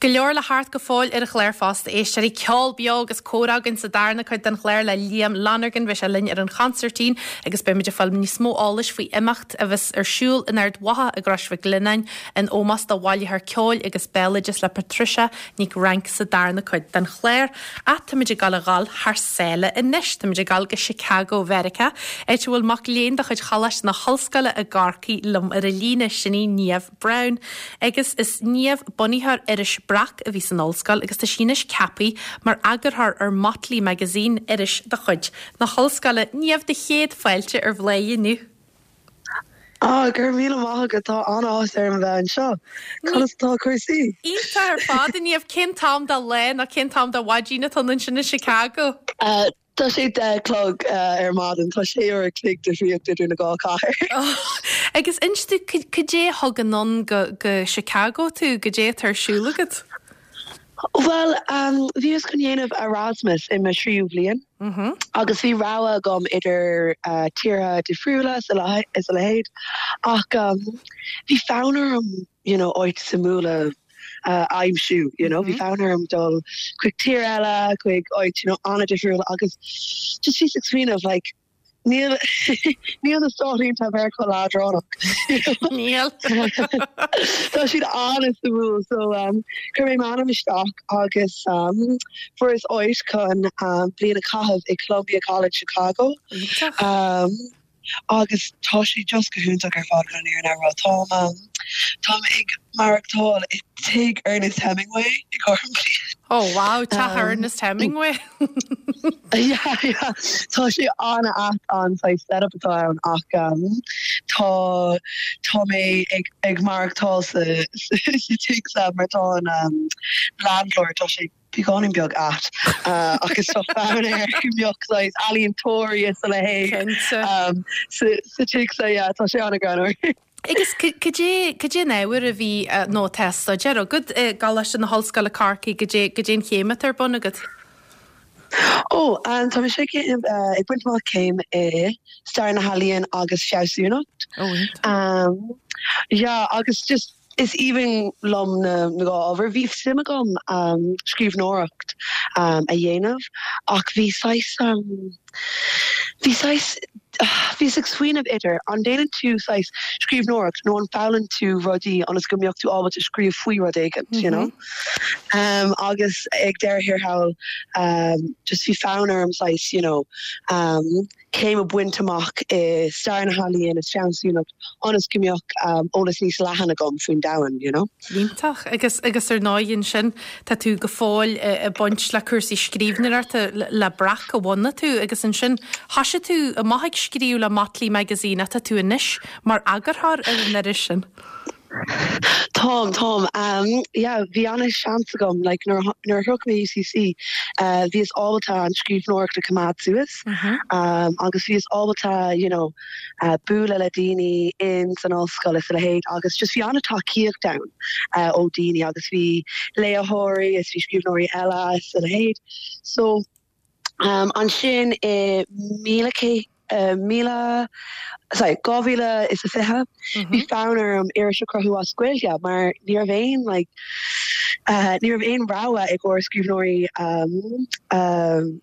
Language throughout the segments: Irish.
Go leor le theacht go fóill ar an chlár fosta, éisteoirí, ceol beo agus comhrá againn sa darna cuid den chlár le Liam Lonergan, beidh sé linn ar an chonsairtín agus beimid ag fáil níos mó eolais faoi imeacht a bheas ar siúl in Ard Mhacha i gCrois Mhic Lionnáin in ómós do bhailitheoir ceoil agus béaloideas le Patricia Nic Fhrainc sa darna cuid den chlár. Ach táimid ag dul a dhul thar sáile anois, táimid ag dul go Chicago Mheiriceá, áit a bhfuil mac léinn de chuid Choláiste na hOllscoile i gCorcaigh liom ar an líne, sin í Niamh Browne, agus is Niamh bunaitheoir iris Breac a bhí san ollscoil agus tá sí anois ceaptha mar eagarthóir ar Motley Magazine, iris de chuid na hollscoile. Niamh, do chéad fáilte ar Bhláth inniu. Ah, go raibh míle maith agat, tá an-áthas orm a bheith anseo. Conas atá cúrsaí? Iontach ar fad, a Niamh. Cén t-am de lá nó cén t-am de mhaidin atá ann ansin i Chicago? Tá sé 10 a chlog ar maidin. Tá sé uair a chloig difríocht idir na dhá chathair. Agus inis dom, cad é a thug anonn go go Chicago tú? Cad é atá ar siúl agat? Bhuel, bhíos chun dhéanamh Erasmus i mo thríú bhliain agus bhí rogha agam idir tíortha difriúla is a leithéid ach bhí fonn orm you know, áit suimiúil a aimsiú, you know, bhí fonn orm dul chuig tír eile, chuig áit, you know, an-difriúil agus just bhíos ag smaoineamh, like, níl, níl na Stáit Aontaithe Mheiriceá leadránach, you know. Níl. Tá siad an-suimiúil, so um, chuir mé m'ainm isteach agus um, fuaireas áit chun um, bliain a chaitheamh i Columbia College Chicago. Iontach. Um, Agus tá sé just go hiontach ar fad chun an fhírinne a rá. Táim, táim ag maireachtáil i dtigh Ernest Hemingway i gcomhair an bhliain. Oh wow, teach Ernest Hemingway. Yeah, yeah. Tá sé an-ait an saghas setup atá ann ach tá, tá mé ag, ag maireachtáil sa, sa tigh seo mar tá an landlord, tá sé, beagáinín beag ait agus tá fonn air go mbeadh saghas ealaíontóirí is a leithéid sa tigh so yeah tá sé an-ghreannmhar. Agus cad é, cad é an ábhar a bhí nó atá á staidéar agat i gColáiste na hOllscoile Corcaigh, cad é, cad é an chéim atá ar bun agat? Ó, tá mise ag ag baint amach céim i Stair na hEalaíon agus Fealsúnacht. Ó, iontach. Yeah, agus just Is aoibhinn liom na dhá ábhar. Bhí suim agam scríbhneoireacht a dhéanamh ach bhí saghas, bhí saghas, bhíos ag smaoineamh idir an déanann tú saghas scríbhneoireacht nó an foghlaim tú rudaí ionas go mbeadh tú ábalta scríobh faoi rud éigin, you know? Agus ag deireadh thiar thall, just bhí fonn orm saghas, you know, céim a bhaint amach i Stair na hEalaíon is Fealsúnacht ionas go mbeadh eolas níos leathan agam faoin domhan, you know. Iontach. Agus, agus ar ndóigh ansin, tá tú go fóill ag baint le cúrsaí scríbhneoireachta le Breac a bhunaigh tú agus ansin thoisigh tú amach ag scríobh le Motley Magazine ach tá tú anois mar eagarthóir ar an iris sin. Táim, táim. Yeah, bhí ana-sheans agam, like, nuair a, nuair a shroich mé UCC, bhíos ábalta an scríbhneoireacht a choimeád suas, agus bhíos ábalta, you know, bualadh le daoine in san ollscoil is a leithéid, agus just bhí ana-tacaíocht ann ó daoine, agus bhí léitheoirí is bhí scríbhneoirí eile is a leithéid. So, Ansin i 1900, sorry, 2020, bhí fonn orm iris a chruthú as Gaeilge mar ní raibh aon like ní raibh aon rogha i gcomhair scríbhneoirí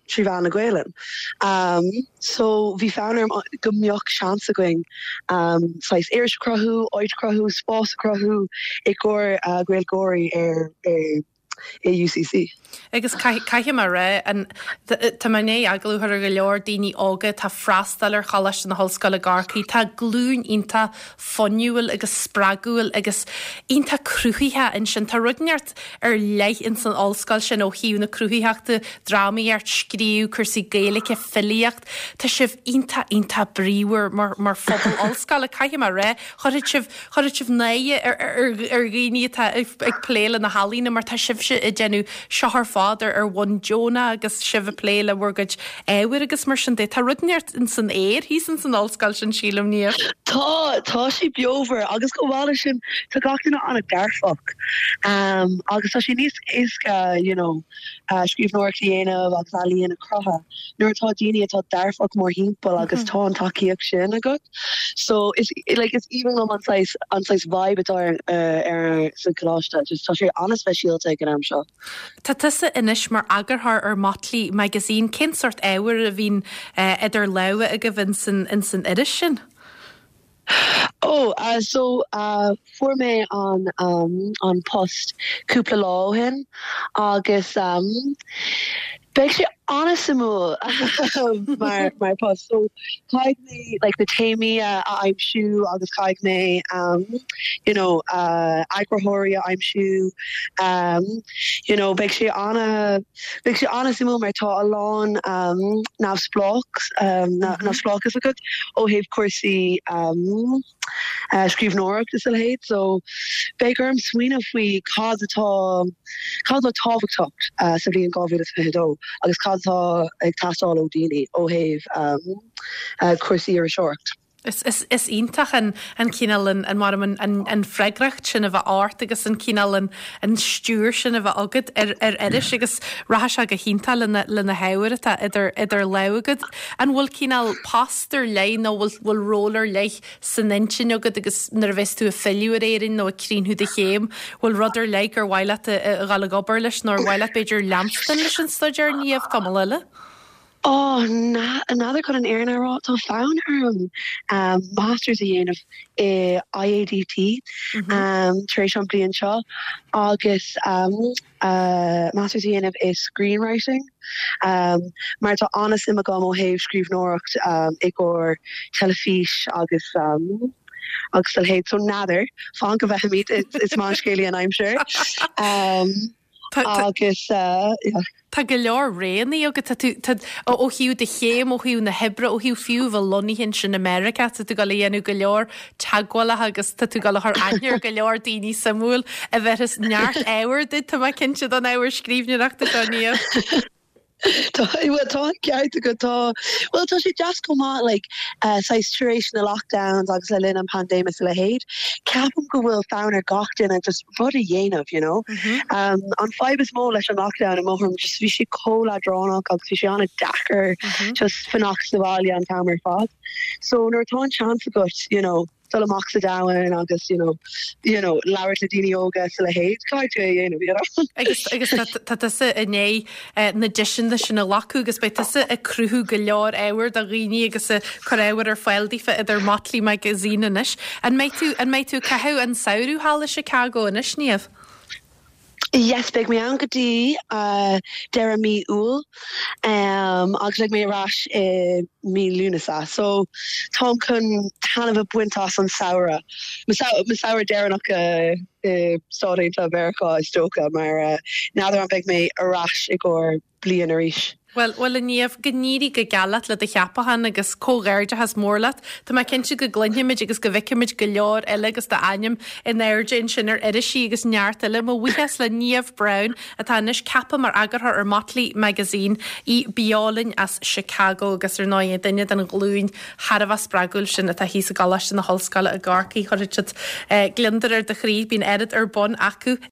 trí mheán na Gaelainne. So bhí fonn orm go mbeadh seans againn saghas iris a chruthú, áit a chruthú, spás a chruthú i gcomhair Gaeilgeoirí ar i UCC. Agus caithfidh mé a rá, tá mé i ndiaidh agallamh a chur ar go leor daoine óga atá ag freastal ar Choláiste na hOllscoile i gCorcaigh, tá glúin iontach fuinniúil agus spreagúil agus iontach cruthaitheach ansin. Tá rud inteacht ar leith ins an ollscoil sin ó thaobh na cruthaitheachta, drámaíocht, scríobh, cúrsaí Gaeilge, filíocht. Tá sibh iontach, iontach bríomhar mar phobal ollscoile, caithfidh mé a rá. Chuirfeadh sibh Chuirfeadh sibh náire ar dhaoine atá ag plé le na healaíona mar tá sibh. sibhse ag déanamh seo ar fad ar ar bhonn deonach agus sibh ag plé le bhur gcuid ábhair agus mar sin de. Tá rud inteacht ins an aer thíos ins an ollscoil sin, sílim, Niamh. Tá, tá sé beomhar agus chomh maith leis sin tá gach duine an-dearfach agus tá sé níos éasca you know scríbhneoireacht a dhéanamh agus ealaíon a chruthú nuair atá daoine atá dearfach mórthimpeall agus tá an tacaíocht sin agat. So is like is aoibhinn liom an saghas an saghas vibe atá ar ar sa choláiste just tá sé an-speisialta ag an am seo. Tá tusa anois mar eagarthóir ar Motley Magazine, cén sórt ábhair a bhíonn idir lámha agaibh ins an ins an iris sin? Ó, so fuair mé an an post cúpla lá ó shin agus beidh sé an-suimiúil mar mar post. So caithfidh mé like na téamaí a aimsiú agus caithfidh mé you know eagarthóirí a aimsiú you know beidh sé ana beidh sé an-suimiúil mar tá a lán neamhspleách neamhspleáchas agat ó thaobh cúrsaí scríbhneoireacht is a leithéid so beidh orm smaoineamh faoi cad atá cad atá tábhachtach sa bhliain 2022 agus cad atá ag teastáil ó daoine ó thaobh cúrsaí iriseoireacht. Is is iontach an an cineál an an mar an an freagracht sin a bheith ort agus an cineál an an stiúir sin a bheith agat ar ar iris agus rachaidh sé go hiontach le na le na hábhair atá idir idir lámha agat. An bhfuil cineál post ar leith nó bhfuil bhfuil ról ar leith san intinn agat agus nuair a bheas tú ag filleadh ar Éirinn nó ag críochnú do chéim, bhfuil rud ar leith gur mhaith leat a a dhul ag obair leis nó ar mhaith leat b'fhéidir leanstan leis an staidéar Niamh tamall eile? Ó, n'fheadar chun an fhírinne a rá, tá fonn orm Masters a dhéanamh i IADT tar éis an bliain seo agus Masters a dhéanamh i Screenwriting mar tá an-suim agam ó thaobh scríbhneoireacht i gcomhair teilifís agus agus a leithéid. So n'fheadar, fan go bhfeicfimid, is maith an scéalaí an aimsir. Agus yeah. Tá go leor roghanna agat. Tá tú, tá, ó thaobh do chéim, ó thaobh na hoibre, ó thaobh fiú bheith lonnaithe ansin i Meiriceá, tá tú ag dul a dhéanamh go leor teagmhálacha agus tá tú ag dul a chur aithne ar go leor daoine suimiúil a bhéarfas neart ábhair duit, tá mé cinnte, don ábhar scríbhneoireachta seo, Niamh. Tá, bhuel, tá an ceart agat, tá, bhuel, tá sé deas chomh maith, like, saghas tar éis na lockdowns agus le linn an paindéim is a leithéid, ceapaim go bhfuil fonn ar gach duine just rud a dhéanamh, you know. An fadhb is mó leis an lockdown i mo thuairim, just bhí sé chomh leadránach agus bhí sé an-deacair just fanacht sa bhaile an t-am ar fad. So nuair atá an seans agat, you know, dul amach sa domhan agus you know, you know, labhairt le daoine óga is a leithéid, caithfidh tú é a dhéanamh, you know. Agus, agus tá, tá tusa i ndiaidh na deiseanna sin a ghlacadh agus beidh tusa ag cruthú go leor ábhair do dhaoine agus ag cur ábhair ar fáil daofa idir Motley Magazine anois. An mbeidh tú, an mbeidh tú ag caitheamh an samhradh thall i Chicago anois, Niamh? Yes, beidh mé ann go dtí deireadh mí Iúil agus beidh mé ar ais i mí Lúnasa. So táim chun taitneamh a bhaint as an samhradh, mo samhradh deireanach i Stáit Aontaithe Mheiriceá is dócha mar n'fheadar an mbeidh mé ar ais i gcomhair bliain arís. Bhuel, bhuel a Niamh, go n-éirí go geal leat le do cheapachán agus comhghairdeachas mór leat. Tá mé cinnte go gcluinfimid agus go bhfeicfimid go leor eile agus d'ainm in airde ansin ar irisí agus neart eile. Mo bhuíochas le Niamh Browne atá anois ceaptha mar eagarthóir ar Motley Magazine, í beo linn as Chicago agus ar ndóigh duine den ghlúin thar a bheith spreagúil sin atá thíos i gColáiste na hOllscoile i gCorcaigh. Chuirfeadh siad gliondar ar do chroí, bíonn oiread ar bun acu.